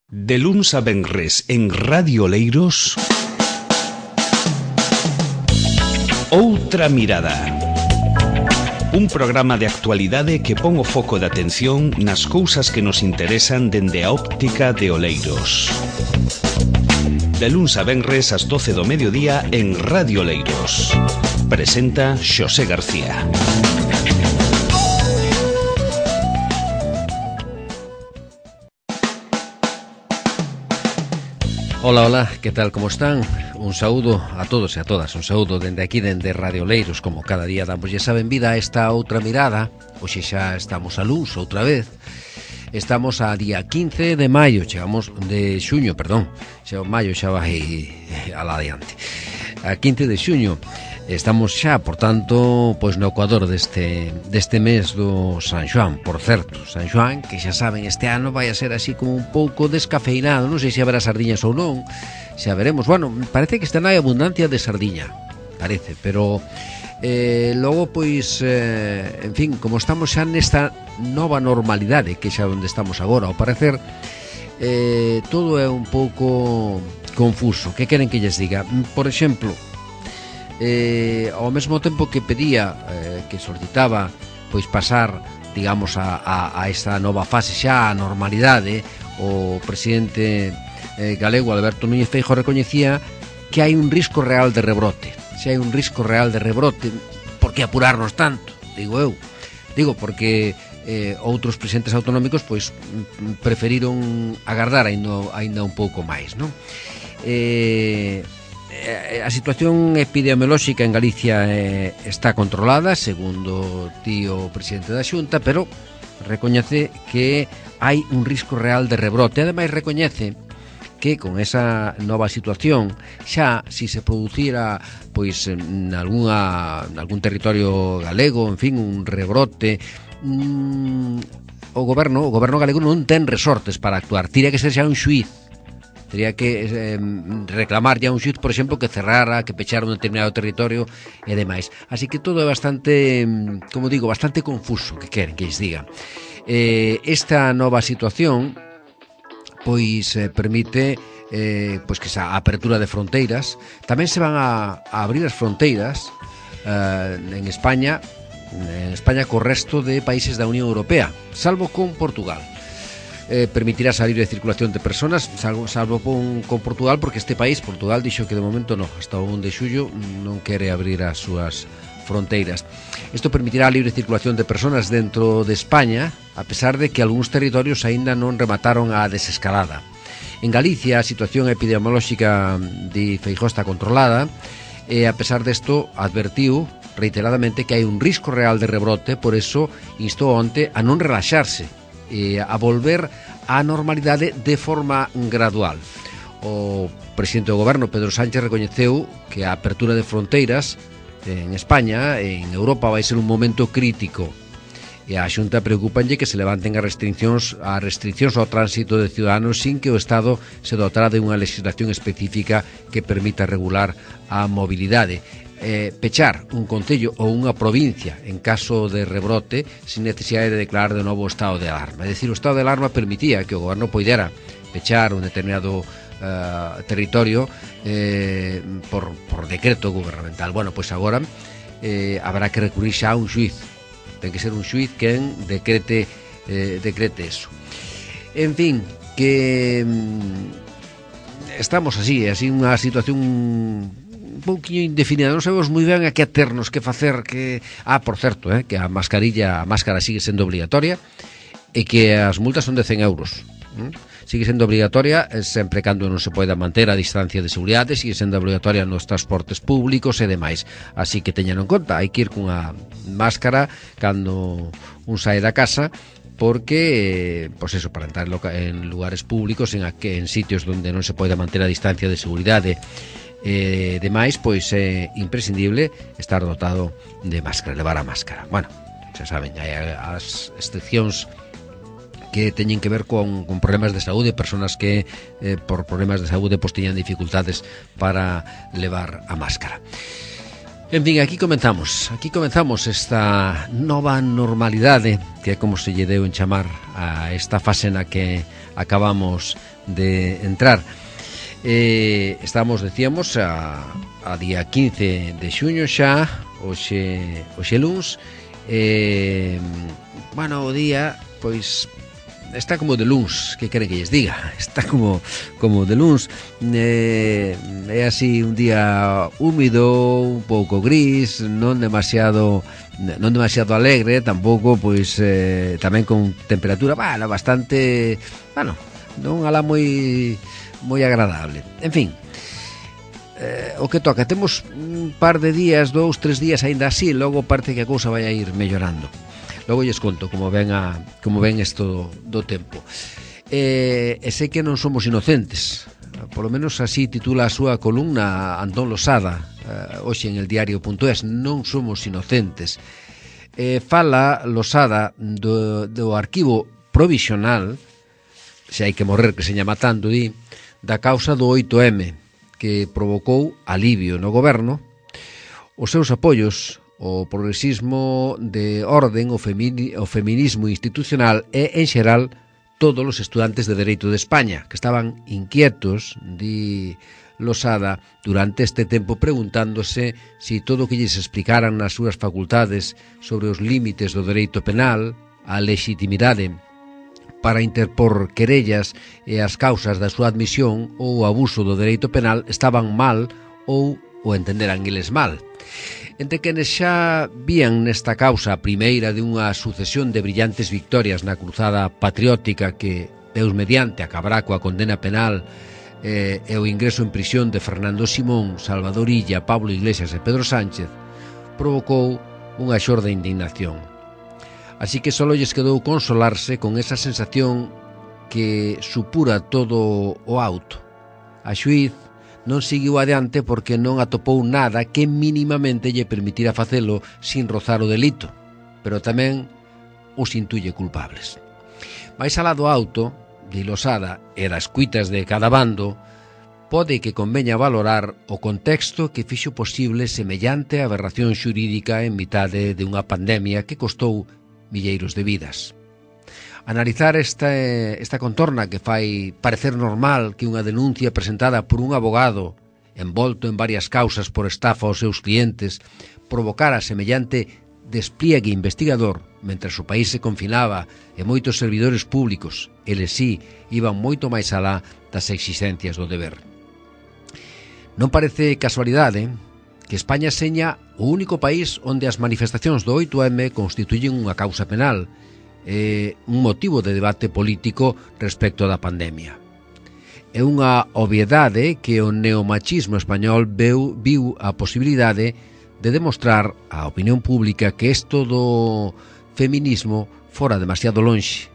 De luns a venres en Radio Oleiros, Outra Mirada. Un programa de actualidade que pon o foco de atención nas cousas que nos interesan dende a óptica de Oleiros. De luns a venres ás 12 do mediodía en Radio Oleiros. Presenta Xosé García. Ola, ola, que tal, como están? Un saúdo a todos e a todas, un saúdo dende aquí, dende Radio Oleiros, como cada día damos esa benvida a esta outra mirada. Hoxe xa estamos a luz outra vez. Estamos a día 15 de maio, chegamos de xuño, perdón, xa o maio xa vai alá adiante. A 15 de xuño estamos xa, por tanto, pois no ecuador deste mes do San Xoán. Por certo, San Xoán, que xa saben, este ano vai a ser así como un pouco descafeinado. Non sei se haberá sardiñas ou non, xa veremos. Bueno, parece que está hai abundancia de sardiña, parece, pero logo, pois, en fin, como estamos xa nesta nova normalidade, que xa onde estamos agora, ao parecer, todo é un pouco confuso. Que queren que lles diga? Por exemplo, ao mesmo tempo que pedía, que solicitaba, pois pasar, digamos, a esta nova fase xa, a normalidade, o presidente galego Alberto Núñez Feijóo recoñecía que hai un risco real de rebrote. Se hai un risco real de rebrote, por que apurarnos tanto? Digo eu. Digo porque outros presidentes autonómicos pois preferiron agardar aínda un pouco máis, non? A situación epidemiolóxica en Galicia está controlada, segundo o presidente da Xunta, pero recoñece que hai un risco real de rebrote. Ademais, recoñece que con esa nova situación, xa si se producira pois en algún territorio galego, en fin, un rebrote, o goberno galego non ten resortes para actuar. Tiría que ser xa un xuíz. Tería que reclamar ya un xuíz, por exemplo, que cerrara, que pechara un determinado territorio e demais. Así que todo é bastante, como digo, bastante confuso, que queren que lles diga. Esta nova situación pois permite pois que esa apertura de fronteiras. Tamén se van a abrir as fronteiras en España co resto de países da Unión Europea, salvo con Portugal. Permitirá salir de circulación de personas, salvo con Portugal, porque este país, Portugal, dixo que de momento no, hasta o 1 de xullo non quere abrir as súas fronteiras. Isto permitirá a libre circulación de personas dentro de España, a pesar de que algúns territorios aínda non remataron a desescalada. En Galicia a situación epidemiolóxica de Feijóo está controlada e, a pesar desto, advertiu reiteradamente que hai un risco real de rebrote, por eso instou onte a non relaxarse e a volver á normalidade de forma gradual. O presidente do goberno, Pedro Sánchez, recoñeceu que a apertura de fronteiras en España, en Europa, vai ser un momento crítico, e a Xunta preocupanlle que se levanten as restriccións ao tránsito de ciudadanos sin que o Estado se dotara de unha legislación específica que permita regular a mobilidade. Pechar un concello ou unha provincia en caso de rebrote sin necesidade de declarar de novo o estado de alarma. É dicir, o estado de alarma permitía que o goberno poidera pechar un determinado territorio por decreto gubernamental. Bueno, pois agora habrá que recurrir xa a un xuíz. Ten que ser un xuíz quen decrete eso. En fin, que estamos así unha situación un pouquinho indefinida, non sabemos moi ben a que aternos, que facer, que... por certo, que a máscara sigue sendo obligatoria e que as multas son de 100 euros. Sigue sendo obligatoria sempre cando non se poida manter a distancia de seguridade, sigue sendo obligatoria nos transportes públicos e demais. Así que teñan en conta, hai que ir cunha máscara cando un sae da casa, porque, pois eso, para entrar en lugares públicos, en sitios onde non se poida manter a distancia de seguridade demais, pois é imprescindible estar dotado de máscara, levar a máscara. Bueno, xa saben, hai as excepcións que teñen que ver con problemas de saúde, personas que por problemas de saúde pois teñan dificultades para levar a máscara. En fin, aquí comenzamos esta nova normalidade, que é como se lle deu en chamar a esta fase na que acabamos de entrar. Estamos, decíamos, a día 15 de xuño xa, hoxe luns. Bueno, o día, pois, está como de luns, que quere que lles diga, está como de luns. É así un día húmido, un pouco gris, non demasiado alegre, tampouco, pois, tamén con temperatura, bastante, non alá moi agradable. En fin, o que toca, temos un par de días, 2-3 días aínda así, logo parte que a cousa vai a ir mellorando. Logo lles conto como ven isto do tempo. E sei que non somos inocentes, polo menos así titula a súa columna Antón Losada, hoxe en el diario.es, non somos inocentes. Fala Losada do arquivo provisional, se hai que morrer que seña matando, da causa do 8M, que provocou alivio no goberno, os seus apoios, o progresismo de orden, o feminismo institucional e, en xeral, todos os estudantes de Dereito de España, que estaban inquietos, di Losada, durante este tempo preguntándose si todo o que lles explicaran nas súas facultades sobre os límites do dereito penal, a legitimidade para interpor querellas e as causas da súa admisión ou o abuso do dereito penal estaban mal ou o entenderan eles mal. Entre quenes xa vían nesta causa a primeira de unha sucesión de brillantes victorias na cruzada patriótica que, Deus mediante, acabará coa condena penal e o ingreso en prisión de Fernando Simón, Salvador Illa, Pablo Iglesias e Pedro Sánchez, provocou unha xorda indignación. Así que só lles quedou consolarse con esa sensación que supura todo o auto. A xuíz non seguiu adiante porque non atopou nada que mínimamente lle permitira facelo sin rozar o delito, pero tamén os intuye culpables. Mais alá do auto, de Losada e das cuitas de cada bando, pode que conveña valorar o contexto que fixo posible semellante aberración xurídica en mitade de unha pandemia que costou milleiros de vidas. Analizar esta contorna que fai parecer normal que unha denuncia presentada por un abogado envolto en varias causas por estafa aos seus clientes provocara semellante despliegue investigador mentres o país se confinaba e moitos servidores públicos, eles sí, iban moito máis alá das exigencias do deber. Non parece casualidade que España seña o único país onde as manifestacións do 8M constituyen unha causa penal, un motivo de debate político respecto da pandemia. É unha obviedade que o neomachismo español viu a posibilidade de demostrar á opinión pública que isto do feminismo fora demasiado lonxe,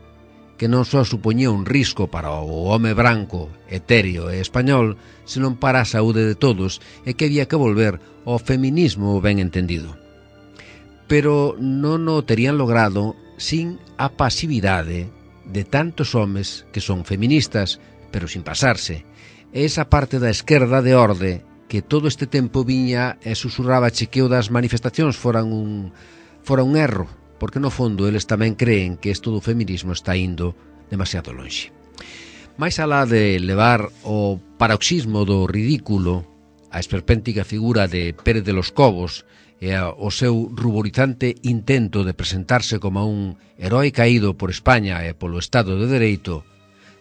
que non só supoñía un risco para o home branco, etéreo e español, senón para a saúde de todos, e que había que volver ao feminismo ben entendido. Pero non o terían logrado sin a pasividade de tantos homes que son feministas, pero sin pasarse. E esa parte da esquerda de orde que todo este tempo viña e susurraba che que o das manifestacións fora un erro, porque no fondo eles tamén creen que isto do feminismo está indo demasiado lonxe. Mais alá de levar o paroxismo do ridículo, a esperpéntica figura de Pérez de los Cobos e o seu ruborizante intento de presentarse como un heroe caído por España e polo Estado de Dereito,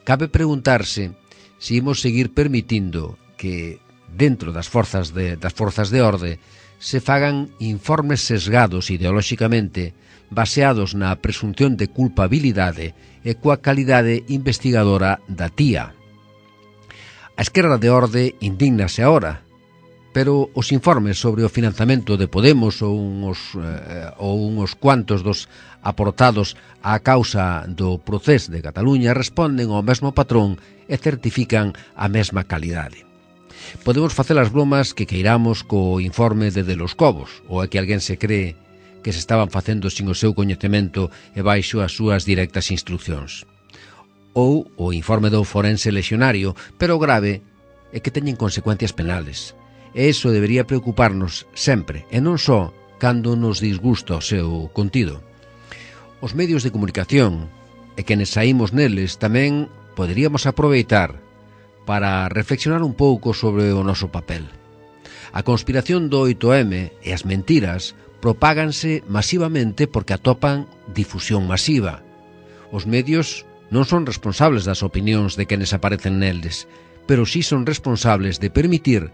cabe preguntarse se imos seguir permitindo que, dentro das forzas de orde, se fagan informes sesgados ideolóxicamente baseados na presunción de culpabilidade e coa calidade investigadora da tía. A esquerda de orde indígnase agora, pero os informes sobre o financiamento de Podemos ou uns cuantos dos aportados á causa do Procés de Cataluña responden ao mesmo patrón e certifican a mesma calidade. Podemos facer as bromas que queiramos co informe de los Cobos, ou é que alguén se cree que se estaban facendo sin o seu coñecemento e baixo as súas directas instruccións. Ou o informe do forense lexionario, pero o grave é que teñen consecuencias penales. E iso debería preocuparnos sempre, e non só cando nos disgusta o seu contido. Os medios de comunicación, e quenes saímos neles, tamén poderíamos aproveitar para reflexionar un pouco sobre o noso papel. A conspiración do 8M e as mentiras propáganse masivamente porque atopan difusión masiva. Os medios non son responsables das opinións de quenes aparecen neles, pero sí son responsables de permitir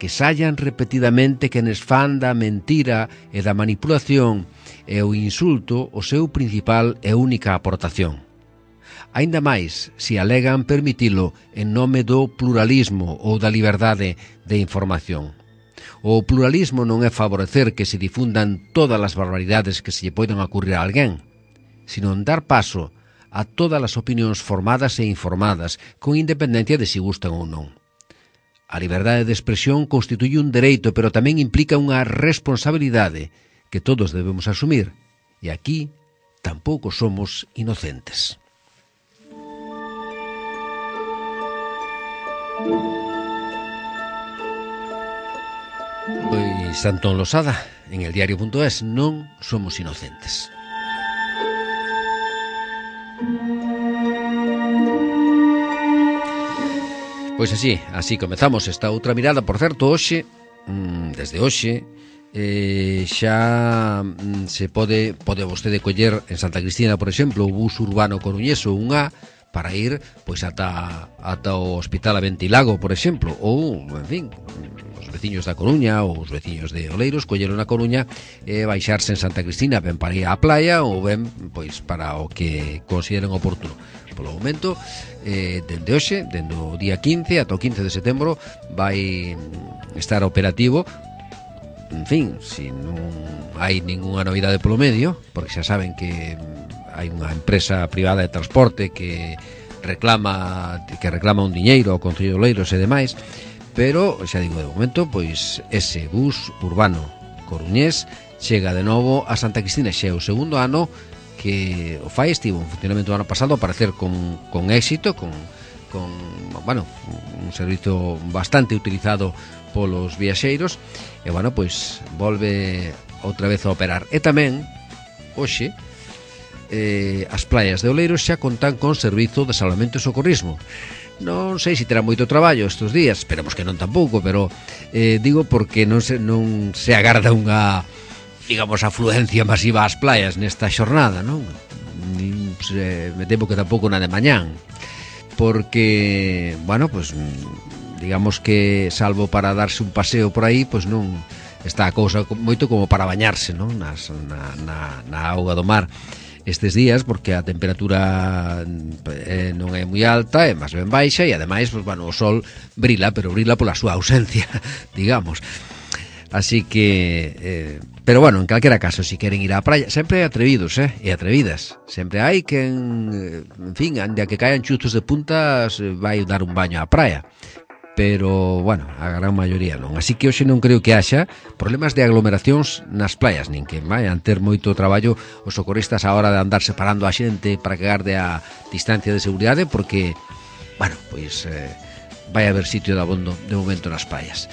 que saian repetidamente quenes fan da mentira e da manipulación e o insulto o seu principal e única aportación. Aínda máis se alegan permitilo en nome do pluralismo ou da liberdade de información. O pluralismo non é favorecer que se difundan todas as barbaridades que se lle poidan ocurrir a alguén, sino en dar paso a todas as opinións formadas e informadas, con independencia de si gustan ou non. A liberdade de expresión constituye un dereito, pero tamén implica unha responsabilidade que todos debemos asumir, e aquí tampouco somos inocentes. Pois Antón Losada, en el diario.es, non somos inocentes. Pois así comezamos esta outra mirada. Por certo, hoxe, desde hoxe, xa se pode vostede coller en Santa Cristina, por exemplo, o bus urbano coruñés ou un A para ir pois ata o Hospital Aventilago, por exemplo, ou, en fin, os veciños da Coruña ou os veciños de Oleiros colleron a Coruña e baixarse en Santa Cristina, ben para ir á playa ou ben pois para o que consideren oportuno. Polo momento, dende hoxe, dende o día 15 ata o 15 de setembro, vai estar operativo. En fin, se non hai ninguna novidade polo medio, porque xa saben que hai unha empresa privada de transporte que reclama un diñeiro ao Concello de Oleiros e demais, pero, xa digo, de momento, pois ese bus urbano coruñés chega de novo a Santa Cristina. Xa é o segundo ano que o fai, estivo en funcionamento do ano pasado, a parecer con éxito, con un servizo bastante utilizado polos viaxeiros, e pois volve outra vez a operar. E tamén, hoxe, as playas de Oleiros xa contan con servizo de salvamento e socorrismo. Non sei se terá moito traballo estes días, esperemos que non tampouco, pero digo porque non se agarda unha, digamos, afluencia masiva ás playas nesta xornada, non? Me temo que tampouco na de mañán, porque, pues digamos que salvo para darse un paseo por aí, pois non está a cousa moito como para bañarse, non? Na auga do mar estes días, porque a temperatura non é moi alta, é máis ben baixa, e ademais, o sol brila, pero brila pola súa ausencia, digamos. Así que, pero en calquera caso, si queren ir á praia, sempre hai atrevidos, e atrevidas. Sempre hai quen, en fin, ande a que caen chuzos de puntas, vai dar un baño á praia. Pero, a gran maioría non. Así que hoxe non creo que haxa problemas de aglomeracións nas playas, nin que vayan ter moito traballo os socorristas a hora de andar separando a xente para que garde a distancia de seguridade, porque, pois vai haber sitio de abondo de momento nas playas.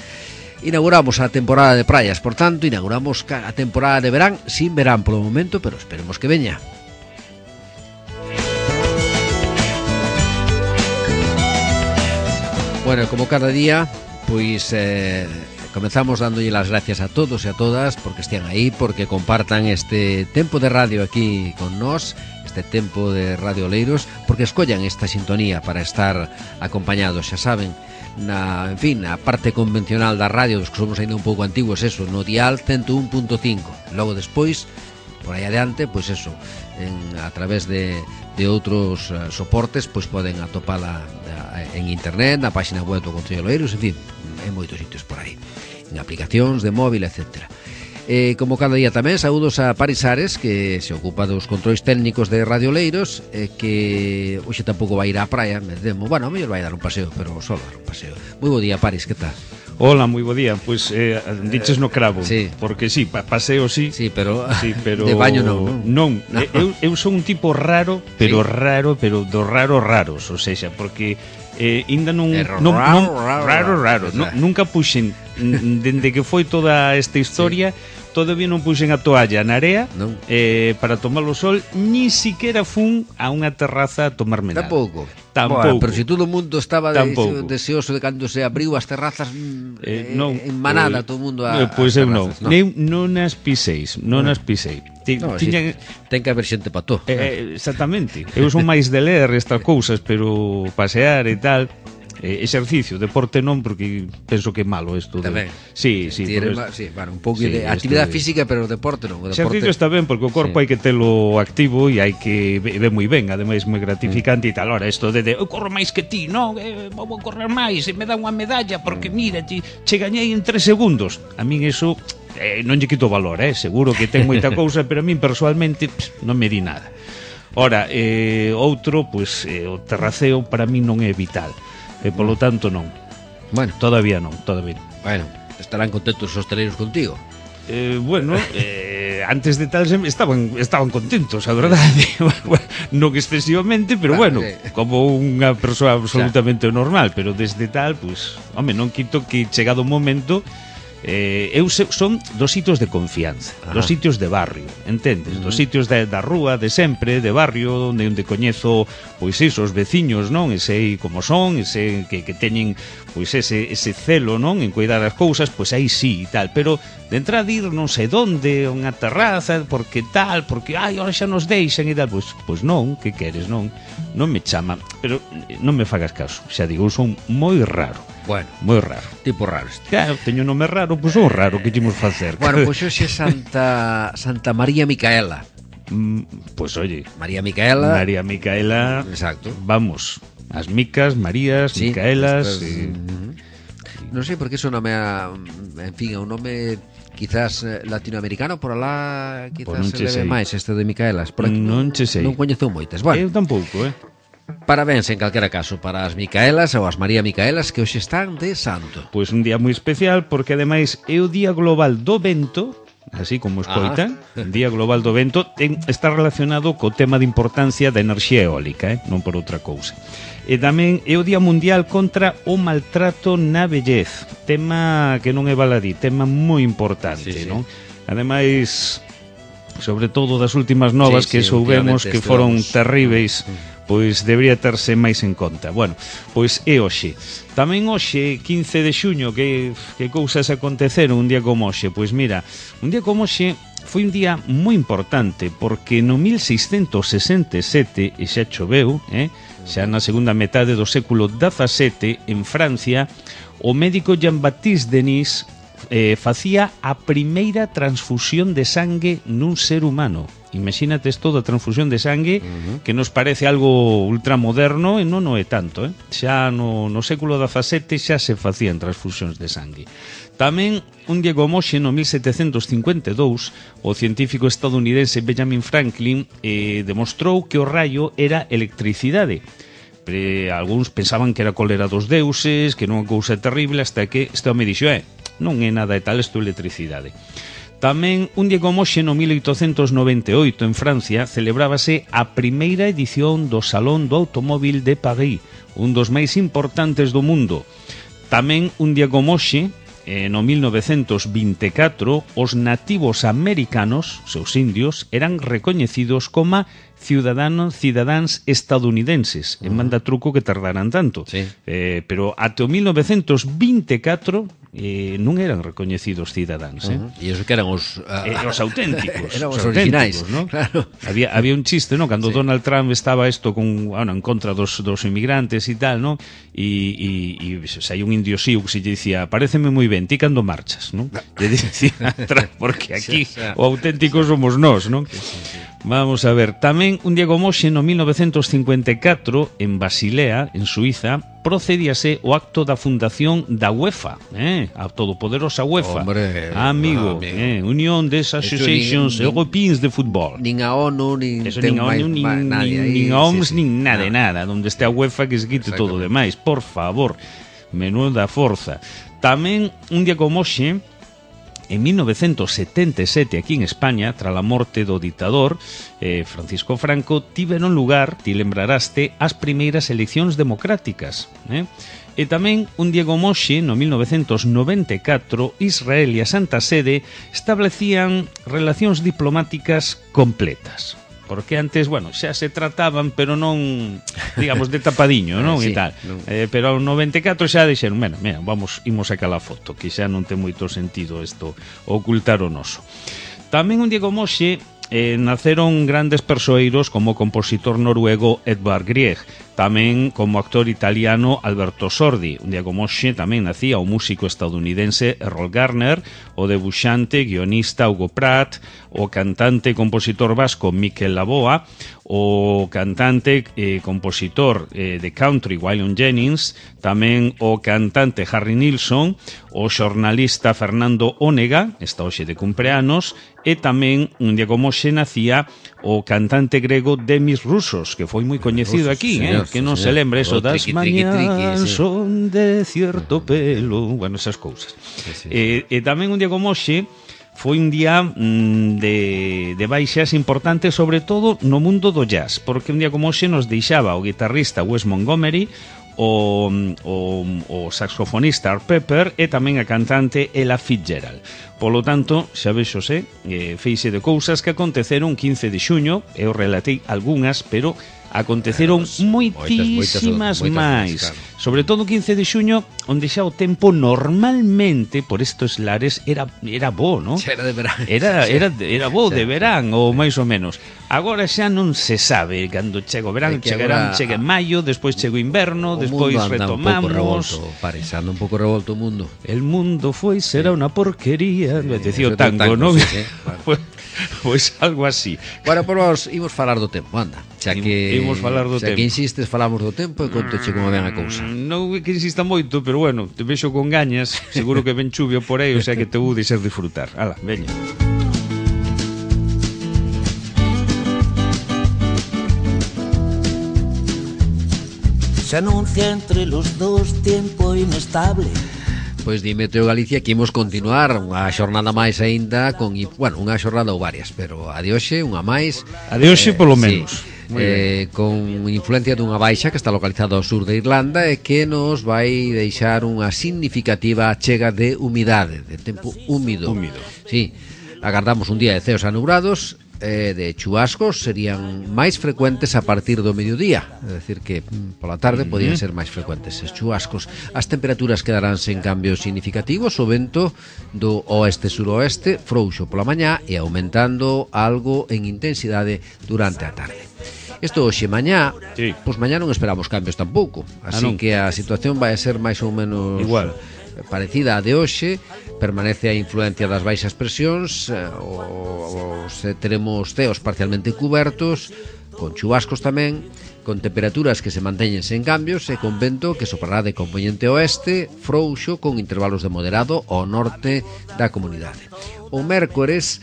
Inauguramos a temporada de praias, por tanto, inauguramos a temporada de verán, sin verán polo momento, pero esperemos que veña. Como cada día, pois comenzamos dándolle las gracias a todos e a todas porque estean aí, porque compartan este tempo de radio aquí con nós, este tempo de Radio Oleiros, porque escollan esta sintonía para estar acompañados, xa saben, na parte convencional da radio, dos que somos ainda un pouco antigos, eso, no dial 101.5. Logo despois, por aí adiante, pois eso, a través de outros soportes, pois poden atopala en internet, na página web do Concello de Oleiros, en fin, en moitos sitios por aí, en aplicacións de móvil, etc. Como cada día tamén, saúdos a Paris Ares, que se ocupa dos controis técnicos de Radio Oleiros, que hoxe tampouco vai ir á praia, me temo. A mellor vai dar un paseo, pero só dar un paseo. Moi bo día, Paris, que tal? Hola, moi bo día. Pois diches no cravo, sí. Porque paseo sí, pero de baño non. Eu son un tipo raro, pero sí. raro, pero dos raros, ou seja, porque ainda non raro. Nunca puxen dende que foi toda esta historia, sí. Todavía non puxen a toalla na area para tomar o sol, ni siquiera fun a unha terraza a tomarme nada. Tampouco. tampouco. Bueno, pero se todo o mundo estaba Tampouco. deseoso de cando se abriu as terrazas non, en manada todo o mundo pois eu non. terrazas, Non as piseis, non as pisei. Tiñan... Ten que haber xente para todo. Exactamente. Eu son máis de ler estas cousas, pero pasear e tal, exercicio, deporte non, porque penso que é malo isto. Tamén. Sí, bueno, un pouco de actividade física, pero o deporte non. O exercicio está ben, porque o corpo hai que telo activo e hai que ve moi ben, ademais moi gratificante e tal. Ora, isto de eu corro máis que ti, non? Vou correr máis e me dá unha medalla porque mira, che gañei en 3 segundos. A min eso non lle quito valor, seguro que ten moita cousa, pero a min personalmente non me di nada. Ora, outro, pois, o terraceo para min non é vital. E polo tanto non. Bueno, todavía non. Bueno, estarán contentos os hosteleiros contigo. Antes de tal estaban contentos, a verdade. Non excesivamente, pero bueno, como unha persoa absolutamente normal, pero desde tal, pois, home, non quito que chegado o momento son dos sitios de confianza, dos sitios de barrio, entendes? Dos sitios da rúa, de sempre, de barrio, onde coñezo, pois iso, os veciños, non? E sei como son, e sei que teñen, pois ese celo, non? En cuidar as cousas, pois aí sí e tal, pero de entrada ir non sei donde, unha terraza, porque tal, porque, ahora xa nos deixan e tal, pois non, que queres, non me chama, pero non me fagas caso, xa digo, eu son moi raro. Bueno, moi raro. Tipo raro este. Claro, teño nome raro, pois son raro, que imos facer? Bueno, pois hoxe Santa María Micaela. Pois oye, María Micaela. Exacto. Vamos, as Micas, Marías, sí, Micaelas non sei por que son nome en fin, é un nome quizás latinoamericano, por alá quizás se leve máis este de Micaelas. Por aquí non coñezo moitas. Bueno, eu tampouco, Parabéns en calquera caso para as Micaelas ou as María Micaelas que hoxe están de santo. Pois un día moi especial porque ademais é o Día Global do Vento, así como escoitan, o Día Global do Vento está relacionado co tema de importancia da enerxía eólica, non por outra cousa. E tamén é o Día Mundial contra o Maltrato na Vellez, tema que non é baladí, tema moi importante, non? Ademais, sobre todo das últimas novas que soubemos que foron terríveis, pois debería terse máis en conta. Bueno, pois é hoxe. Tamén hoxe, 15 de xuño, que cousas aconteceron un día como hoxe? Pois mira, un día como hoxe foi un día moi importante, porque no 1667, e xa choveu, xa na segunda metade do século XVII, en Francia, o médico Jean-Baptiste Denis facía a primeira transfusión de sangue nun ser humano. Imagínate isto da transfusión de sangue, que nos parece algo ultramoderno e non é tanto, Xa no século XVII xa se facían transfusións de sangue. Tamén un día como hoxe, no 1752, o científico estadounidense Benjamin Franklin demostrou que o raio era electricidade. Algúns pensaban que era cólera dos deuses, que non é cousa terrible, hasta que este home dixo, non é nada de tal, isto é electricidade. Tamén, un día como hoxe, no 1898, en Francia, celebrábase a primeira edición do Salón do Automóvil de París, un dos máis importantes do mundo. Tamén, un día como hoxe, no 1924, os nativos americanos, seus indios, eran recoñecidos como cidadáns estadounidenses. En manda truco que tardaran tanto. Pero até o 1924 non eran recoñecidos cidadáns. E iso que eran os auténticos. Eran os originais, ¿no? Claro. Había un chiste, ¿no? Cando Donald Trump estaba en contra dos inmigrantes e tal, ¿no? E hai un indio sío que se dicía, paréceme moi ben, ti cando marchas, ¿no? Le dicía Trump, porque aquí o auténtico somos nós, ¿no? Vamos a ver, tamén un día como hoxe, no 1954, en Basilea, en Suiza, procedíase o acto da fundación da UEFA, a todopoderosa UEFA. Hombre, amigo. Unión des Associations Europeans de Fútbol. Nin a ONU, nin a OMS, nin nada, donde este a UEFA que se quite todo o demais, por favor, menuda forza. Tamén un día como hoxe, en 1977, aquí en España, tras a morte do ditador Francisco Franco, tiveron lugar, ti lembraraste, as primeiras eleccións democráticas. E tamén, un día como hoxe, no 1994, Israel e a Santa Sede establecían relacións diplomáticas completas. porque antes, bueno, xa se trataban, pero non, digamos, de tapadiño, non? Sí, e tal. non. Pero ao 94 xa dixeron, mira, imos sacar a foto, que xa non ten moito sentido isto, ocultar o noso. Tamén un día como hoxe, naceron grandes persoeiros como o compositor noruego Edvard Grieg, tamén como actor italiano Alberto Sordi. Un día como hoxe tamén nacía o músico estadounidense Errol Garner, o debuxante, guionista Hugo Pratt, o cantante e compositor vasco Mikel Laboa, o cantante e compositor de country Waylon Jennings, tamén o cantante Harry Nilsson, o xornalista Fernando Onega, está hoxe de cumpleanos, e tamén un día como hoxe nacía o cantante grego Demis Roussos, que foi moi coñecido aquí, señor, que non señor. se lembre eso O das triqui, triqui, mañás sí. son de cierto pelo, bueno, esas cousas. Sí. E tamén un día como hoxe foi un día de baixas importantes, sobre todo no mundo do jazz, porque un día como hoxe nos deixaba o guitarrista Wes Montgomery, o saxofonista Art Pepper e tamén a cantante Ella Fitzgerald. Polo tanto, xa vexose, feixe de cousas que aconteceron 15 de xuño, eu relatei algunhas, pero aconteceron moitísimas máis. Claro. Sobre todo o 15 de xuño, onde xa o tempo normalmente por estos lares era bo, non? Xa era de verán. Era bo de verán, ou máis ou menos. Agora xa non se sabe cando chega o verán, chega en maio, despois chega o inverno, despois retomamos. Anda un pouco revolto o mundo. El mundo foi será unha porquería, decía o Eso tango, non? Sí, vale. Pois algo así. Bueno, pois imos falar do tempo, anda. Xa que Imos falar do tempo. que insistes, falamos do tempo e contoche como ven a cousa. Non é que insista moito, pero bueno, te vexo con gañas, seguro que ven chuvio por aí, o sea que te vou deixar disfrutar. Ala, veña. Se anuncia entre los dos tiempo inestable. Pois di Meteo Galicia que imos continuar unha xornada máis aínda con, bueno, unha xornada ou varias, pero a de hoxe unha máis. A de hoxe polo menos. Sí, con influencia dunha baixa que está localizada ao sur de Irlanda e que nos vai deixar unha significativa chega de humidade, de tempo húmido. Sí, agardamos un día de ceos anubrados, de chubascos serían máis frecuentes a partir do mediodía, é dicir que pola tarde podían ser máis frecuentes esses chubascos. As temperaturas quedarán sen cambios significativos, o vento do oeste-suroeste frouxo pola mañá e aumentando algo en intensidade durante a tarde. Isto hoxe mañá, sí. Pois mañá non esperamos cambios tampouco, así que a situación vai a ser máis ou menos igual, parecida a de hoxe. Permanece a influencia das baixas presións, teremos ceos parcialmente cubertos, con chubascos tamén, con temperaturas que se manteñen sen cambios e con vento que soprará de compoñente oeste, frouxo, con intervalos de moderado ao norte da comunidade. O mércores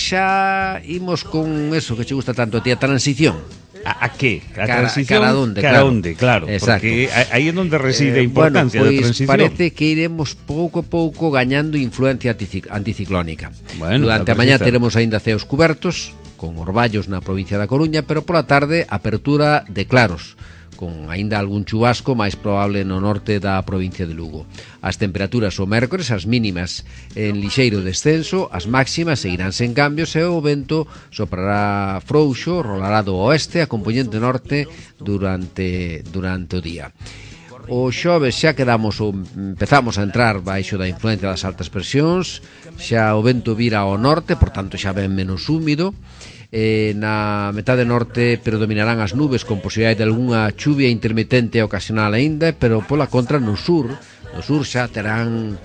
xa imos con eso que che gusta tanto a ti, a transición. A que? A transición? Cara onde, claro. Exacto. Porque aí é onde reside a importancia da transición. Parece que iremos pouco a pouco gañando influencia anticiclónica. Bueno, durante a mañá teremos aínda ceos cubertos, con orballos na provincia da Coruña, pero pola tarde apertura de claros, con aínda algún chubasco máis probable no norte da provincia de Lugo. As temperaturas o mércores, as mínimas en lixeiro descenso, as máximas seguirán sen cambios e o vento soprará frouxo, rolará do oeste a compoñente norte durante o día. O xoves xa empezamos a entrar baixo da influencia das altas presións, xa o vento vira ao norte, por tanto xa ven menos húmido. Na metade norte predominarán as nubes con posibilidade de algunha chuvia intermitente e ocasional aínda, pero pola contra no sur xa terán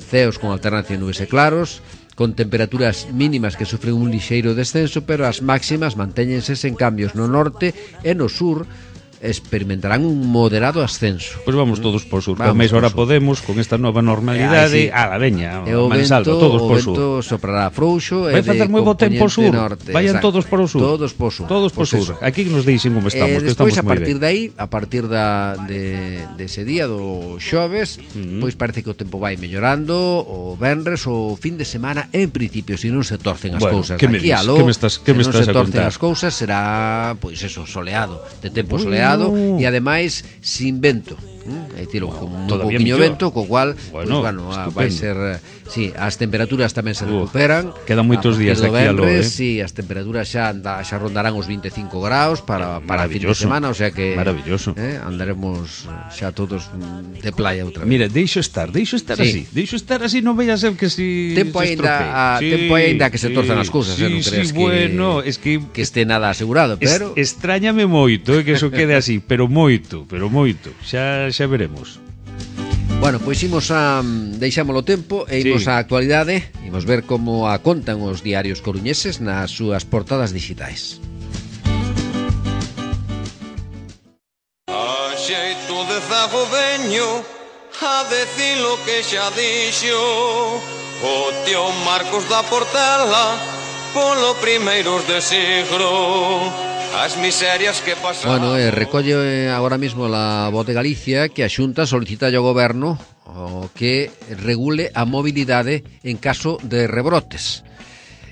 ceos con alternancia de nubes e claros, con temperaturas mínimas que sufren un lixeiro descenso, pero as máximas mantéñense sen cambios no norte e no sur experimentarán un moderado ascenso. Pois vamos todos por sur, que máis hora podemos con esta nova normalidade. A la veña, mansalva, todos por sur. O vento soprará frouxo vai facer moi bo tempo sur. Vayan todos por o sur. Todos por sur. Todos por sur. Aquí nos deixen como estamos, que despois, estamos moi a partir ben. de aí, a partir de ese día do xoves, pois parece que o tempo vai mellorando, o venres, o fin de semana, en principio, se non se torcen as cousas. Aquí aló, que me estás a contar? As cousas será, pois eso, soleado, de tempo soleado e ademais sin vento, É dicir, como un Todavía pouquiño mellor. vento, co cual, Bueno, vai ser, sí, as temperaturas tamén se recuperan. Quedan moitos A partir días do aquí aló, venres, sí, as temperaturas xa rondarán os 25 graus para a fin de semana, o sea que maravilloso. Andaremos xa todos de playa outra vez. Mira, deixo estar Sí. así, non vai a ser que si Tempo se aínda estropee. tempo aínda que se torzan as cousas, non crees bueno, es que este nada asegurado, pero extrañame moito, que eso quede así, pero moito. Xa veremos. bueno, pois imos a deixámolo tempo e imos Sí. á actualidade, imos ver como a contan os diarios coruñeses nas súas portadas digitais. A xeito de zago veño a decir lo que xa dixo o tío Marcos da Portela polo primeiros de siglo as miserias que pasaron. Bueno, recolle agora mesmo a Voz de Galicia que a Xunta solicita ao goberno o que regule a mobilidade en caso de rebrotes.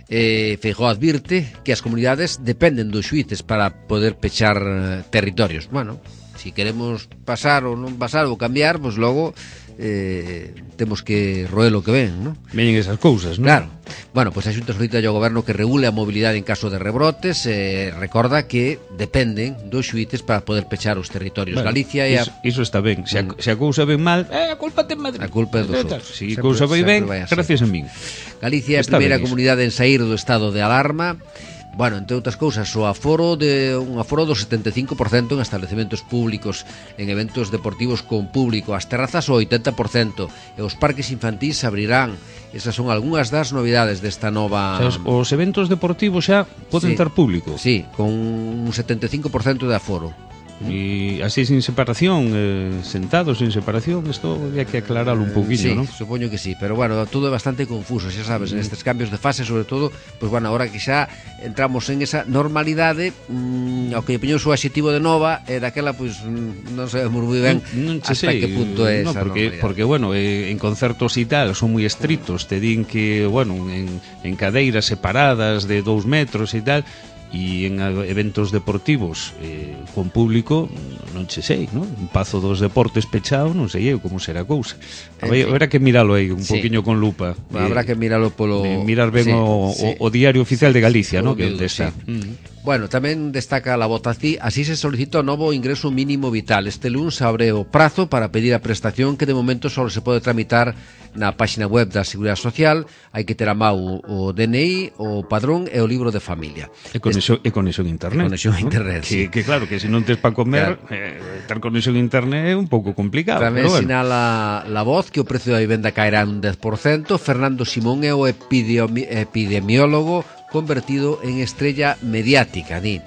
Feijóo advirte que as comunidades dependen dos xuíces para poder pechar territorios. Bueno, si queremos pasar ou non pasar ou cambiar, pois logo temos que roer o que ven, non? Veñen esas cousas, non? Claro. Bueno, pois a Xunta solicita ao goberno que regule a mobilidade en caso de rebrotes, recorda que dependen dos xuíces para poder pechar os territorios. Bueno, Galicia e iso está ben. Se a cousa ven mal, a culpa ten Madrid. A culpa é dos outros. Se a Sempre- cousa vai sempre ben, vai a ser. gracias a min. Galicia é a Está primeira ben iso. comunidade en saír do estado de alarma. Bueno, entre outras cousas, un aforo do 75% en establecementos públicos, en eventos deportivos con público, as terrazas o 80%, e os parques infantís abrirán. Esas son algunhas das novidades desta nova... O sea, os eventos deportivos xa poden Sí. ter público. Sí, con un 75% de aforo. E así sin separación, sentados sin separación, isto había que aclararlo un pouquiño, Sí, non? supoño que sí, pero bueno, todo é bastante confuso, xa sabes, en estes cambios de fase, sobre todo, pois bueno, ahora que xa entramos en esa normalidade, ao que poñeu o seu adxetivo de nova, e daquela, pois, non sabemos moi ben Non che hasta sei, que punto é no, esa normalidade. porque bueno, en concertos e tal son moi estritos, te din que, bueno, en cadeiras separadas de 2 metros e tal, e en eventos deportivos con público non che sei, non? Un Pazo dos Deportes pechado, non sei eu como será a cousa. Habrá que miralo aí un Sí. poquinho con lupa. Habrá que miralo polo... mirar ben Sí, o Diario Oficial de Galicia, Polo ¿no? Que miúdo, onde está. sí. Bueno, tamén destaca la votación, así se solicita o novo ingreso mínimo vital. Este lunes abre o prazo para pedir a prestación que de momento só se pode tramitar na páxina web da Seguridade Social. Hai que ter a mau o DNI, o padrón e o libro de familia. E conexión a internet. Conexión a ¿no? internet, sí. Que claro, que se non tes para comer, ter conexión a internet é un pouco complicado. Tamén pero bueno. sinala la voz que o precio da vivenda caerá un 10%. Fernando Simón é o epidemiólogo convertido en estrella mediática, di.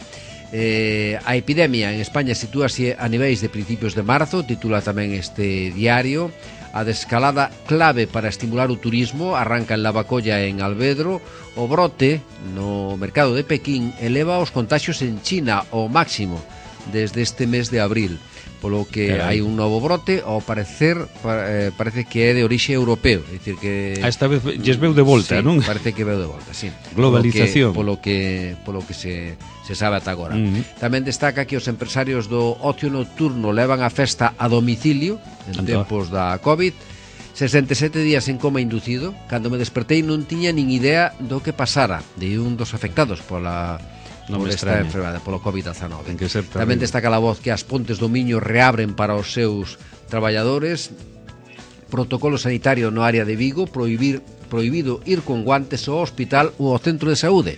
A epidemia en España sitúase a niveis de principios de marzo, titula tamén este diario. A descalada clave para estimular o turismo arranca en Lavacolla e en Alvedro. O brote no mercado de Pequín eleva os contaxios en China ao máximo desde este mes de abril, polo que Carai. hai un novo brote, ao parecer parece que é de orixe europeo, é dicir que A esta vez lles veu de volta, sí, non? parece que veu de volta, sí. Globalización. Polo que se sabe ata agora. Tamén destaca que os empresarios do ocio nocturno levan a festa a domicilio en Anda. tempos da COVID. 67 días en coma inducido. Cando me despertei non tiña nin idea do que pasara, de un dos afectados por Non me esta extraña. enfermedade, polo COVID-19. Ten que ser Tamén terrible. destaca a voz que as Pontes do Miño reabren para os seus traballadores. Protocolo sanitario no área de Vigo, prohibido ir con guantes ao hospital ou ao centro de saúde.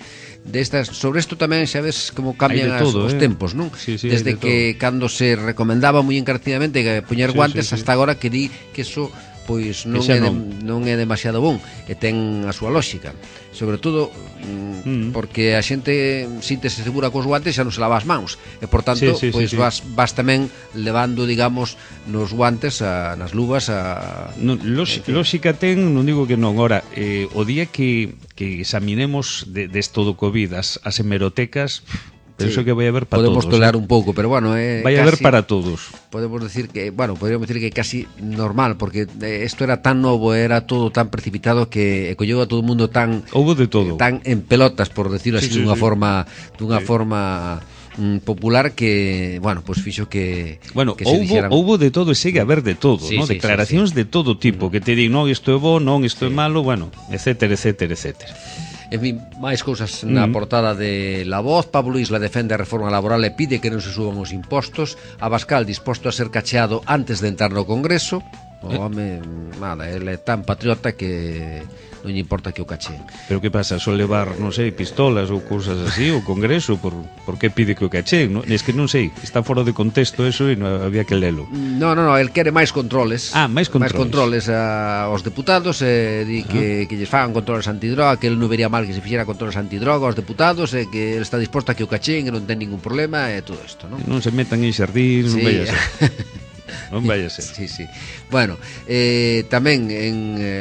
Sobre isto tamén xa ves como cambian Hai de todo, os tempos, non? Sí, Desde hai de que cando se recomendaba moi encarecidamente que poñer Sí, guantes sí, sí. hasta agora que di que eso pois non xa é, non. non é demasiado bon e ten a súa lógica, sobre todo porque a xente síntese segura cos guantes xa non se lava as mans e por tanto Sí, pois sí. vas tamén levando digamos nos guantes nas luvas Lóxica ten, non digo que non. Ora, o día que examinemos desto do COVID as hemerotecas, penso que vai haber para podemos todos. tolerar un pouco, pero bueno, Vai haber para todos. podemos decir que, bueno, podríamos decir que casi normal, porque isto era tan novo, era todo tan precipitado que colleu a todo o mundo tan Houbo de todo. tan en pelotas, por decirlo así, Sí, dunha sí. forma popular que, bueno, pues fixo que houbo de todo e segue a haber de todo, ¿no? Declaracións de todo tipo, que te di, non, isto é bo, non, isto é malo, bueno, etcétera, etcétera, etcétera. En fin, máis cousas na portada de La Voz. Pablo Isla defende a reforma laboral e pide que non se suban os impostos. Abascal disposto a ser cacheado antes de entrar no Congreso. O home, nada, ele é tan patriota que non lle importa que o cacheen. Pero que pasa, só levar, non sei, pistolas ou cousas así, o Congreso, por que pide que o cacheen? No? Es que non sei, está fora de contexto eso e non había que lelo. No, el quere máis controles. Máis controles. Máis controles aos deputados, di que lles fagan controles antidroga, que el non vería mal que se fixera controles antidroga aos deputados, e que el está disposto a que o cacheen, que non ten ningún problema, e todo isto, non? Non se metan en xardín, non vaya a ser. Non vai a ser. Sí. Bueno, tamén en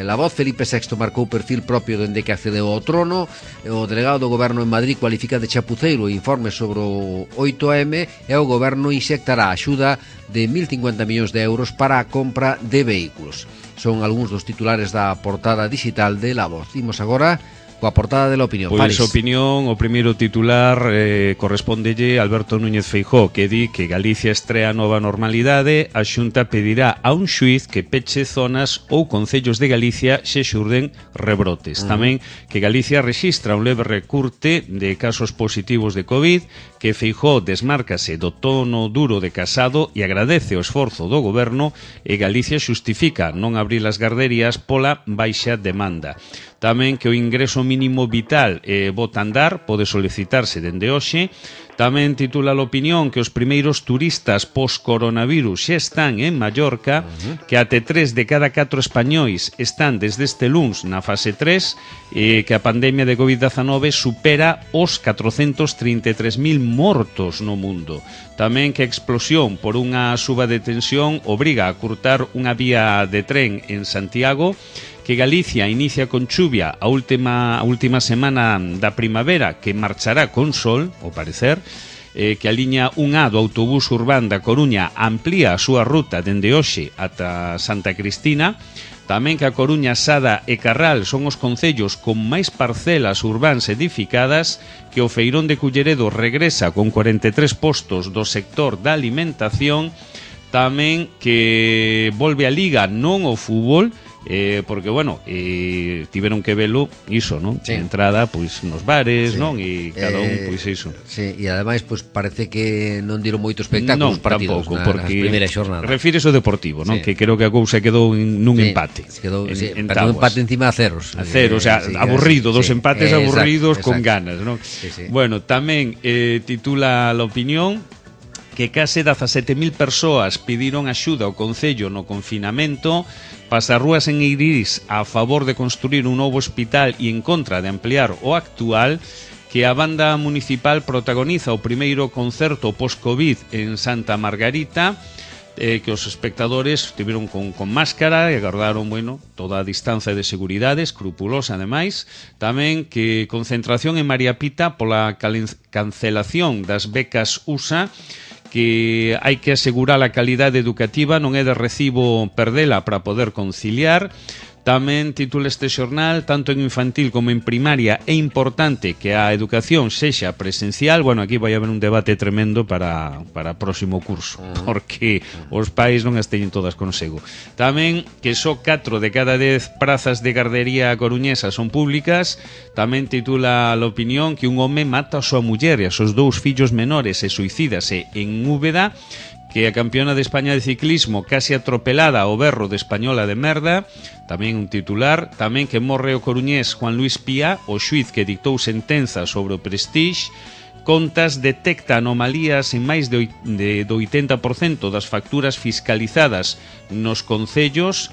La Voz, Felipe VI marcou perfil propio dende que accedeu ao trono. O delegado do goberno en Madrid cualifica de chapuceiro o informe sobre o 8M, e o goberno inxectará a axuda de 1.050 millóns de euros para a compra de vehículos. Son algúns dos titulares da portada digital de La Voz. Imos agora coa portada de La Opinión. Pois a Opinión, o primeiro titular correspondelle a Alberto Núñez Feijóo, que di que Galicia estrea nova normalidade. A Xunta pedirá a un xuiz que peche zonas ou concellos de Galicia se xurden rebrotes. Tamén que Galicia rexistra un leve recurte de casos positivos de COVID, que Feijóo desmárcase do tono duro de Casado e agradece o esforzo do goberno, e Galicia xustifica non abrir as garderías pola baixa demanda. Tamén que o ingreso mínimo vital bota a andar, pode solicitarse dende hoxe. Tamén titula a Opinión que os primeiros turistas post-coronavirus xa están en Mallorca, que até 3 de cada 4 españois están desde este luns na fase 3, e que a pandemia de COVID-19 supera os 433.000 mortos no mundo. Tamén que a explosión por unha suba de tensión obriga a curtar unha vía de tren en Santiago, que Galicia inicia con chuvia a última semana da primavera, que marchará con sol, ao parecer, que a liña 1A do autobús urbán da Coruña amplía a súa ruta dende hoxe ata Santa Cristina. Tamén que a Coruña, Sada e Carral son os concellos con máis parcelas urbáns edificadas, que o Feirón de Culleredo regresa con 43 postos do sector da alimentación. Tamén que volve a Liga, non o fútbol, porque, bueno, tiveron que velo iso, non? Sí. Entrada, pois, nos bares, non? E cada un, pois, iso. Sí, e ademais, pois, parece que non diron moito espectáculo os partidos tampouco, nas primeiras xornadas. Refírese ao Deportivo, non? Sí. Que creo que a cousa quedou nun empate. Quedou, pero un empate encima a ceros. A cero, o sea, aburrido, dos empates aburridos con ganas, non? Sí. Bueno, tamén titula a Opinión que case 17.000 persoas pediron axuda ao Concello no confinamento. Pasarrúas en Eirís a favor de construir un novo hospital e en contra de ampliar o actual. Que a banda municipal protagoniza o primeiro concerto post-Covid en Santa Margarita, que os espectadores tiveron con máscara e agardaron, bueno, toda a distancia de seguridade, escrupulosa ademais. Tamén que concentración en María Pita pola cancelación das becas USA, que hai que asegurar a calidade educativa, non é de recibo perdela para poder conciliar. Tamén titula este xornal, tanto en infantil como en primaria é importante que a educación sexa presencial. Bueno, aquí vai haber un debate tremendo para o próximo curso, porque os pais non as teñen todas consigo. Tamén que só 4 de cada 10 prazas de gardería coruñesa son públicas. Tamén titula a Opinión que un home mata a súa muller e a seus 2 fillos menores e suicídase en Úbeda. Que a campeona de España de ciclismo case atropelada ao berro de Española de merda. Tamén un titular. Tamén que morre o coruñés Juan Luis Pía, o xuiz que dictou sentenza sobre o Prestige. Contas detecta anomalías en máis do 80% das facturas fiscalizadas nos concellos.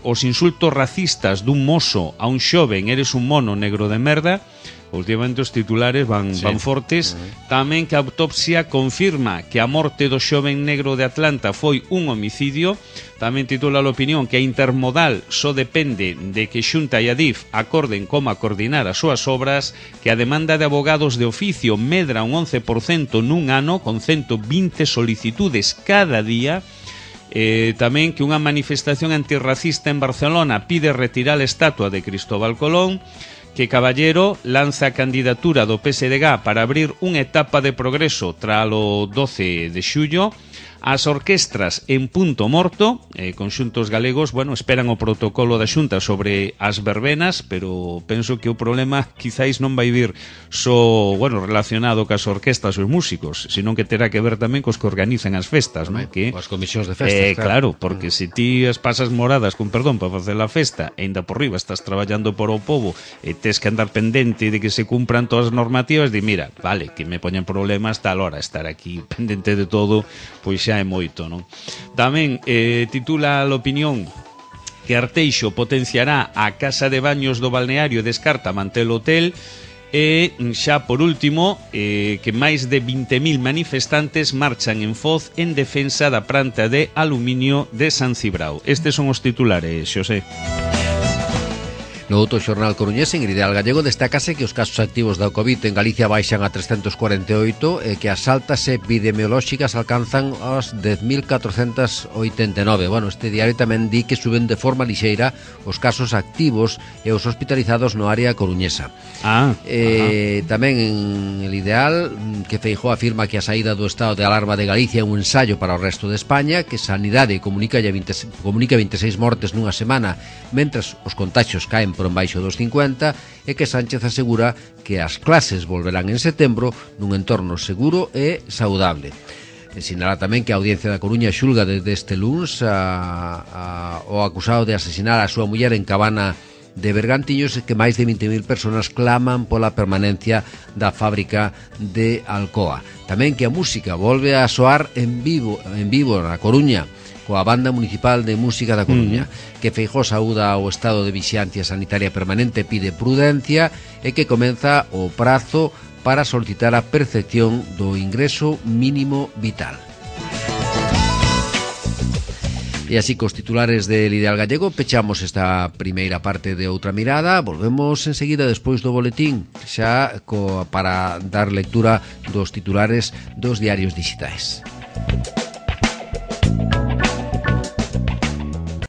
Os insultos racistas dun mozo a un xoven, eres un mono negro de merda. Últimamente os titulares van fortes. Tamén que a autopsia confirma que a morte do xoven negro de Atlanta foi un homicidio. Tamén titula a Opinión que a Intermodal só depende de que Xunta e Adif acorden como a coordinar as súas obras, que a demanda de abogados de oficio medra un 11% nun ano, con 120 solicitudes cada día. Tamén que unha manifestación antirracista en Barcelona pide retirar a estatua de Cristóbal Colón. que Caballero lanza a candidatura do PSDG para abrir unha etapa de progreso tralo 12 de xullo. As orquestras en punto morto, conxuntos galegos, bueno, esperan o protocolo da Xunta sobre as verbenas, pero penso que o problema quizáis non vai vir só, bueno, relacionado cas orquestas e os músicos, sino que terá que ver tamén cos que organizan as festas, non? Que as comisións de festas, claro, porque se ti as pasas moradas con perdón para facer a festa e ainda por riba estás traballando por o povo e tes que andar pendente de que se cumpran todas as normativas, de mira, vale, que me poñen problemas tal hora, estar aquí pendente de todo, pois xa é moito, non? Tamén titula a opinión que Arteixo potenciará a casa de baños do balneario e descarta manter o hotel. E xa por último, que máis de 20.000 manifestantes marchan en Foz en defensa da planta de aluminio de San Cibrao. Estes son os titulares, Xosé. No outro xornal coruñés, en Ideal Gallego, destácase que os casos activos da COVID en Galicia baixan a 348 e que as altas epidemiolóxicas alcanzan as 10.489. Bueno, este diario tamén di que suben de forma lixeira os casos activos e os hospitalizados no área coruñesa. Tamén en el Ideal, que Feijóo afirma que a saída do estado de alarma de Galicia é un ensayo para o resto de España, que Sanidade comunica 26 mortes nunha semana, mentras os contagios caen por embaixo dos 50, e que Sánchez asegura que as clases volverán en setembro nun entorno seguro e saudable. Sinala tamén que a Audiencia da Coruña xulga desde este luns o acusado de asesinar a súa muller en Cabana de Bergantiños, e que máis de 20.000 personas claman pola permanencia da fábrica de Alcoa. Tamén que a música volve a soar en vivo na Coruña, coa Banda Municipal de Música da Coruña, que Feijóo saúda o estado de vixiancia sanitaria permanente, pide prudencia e que comeza o prazo para solicitar a percepción do ingreso mínimo vital. E así, cos titulares del Ideal Gallego, pechamos esta primeira parte de Outra Mirada. Volvemos enseguida despois do boletín, xa para dar lectura dos titulares dos diarios digitais.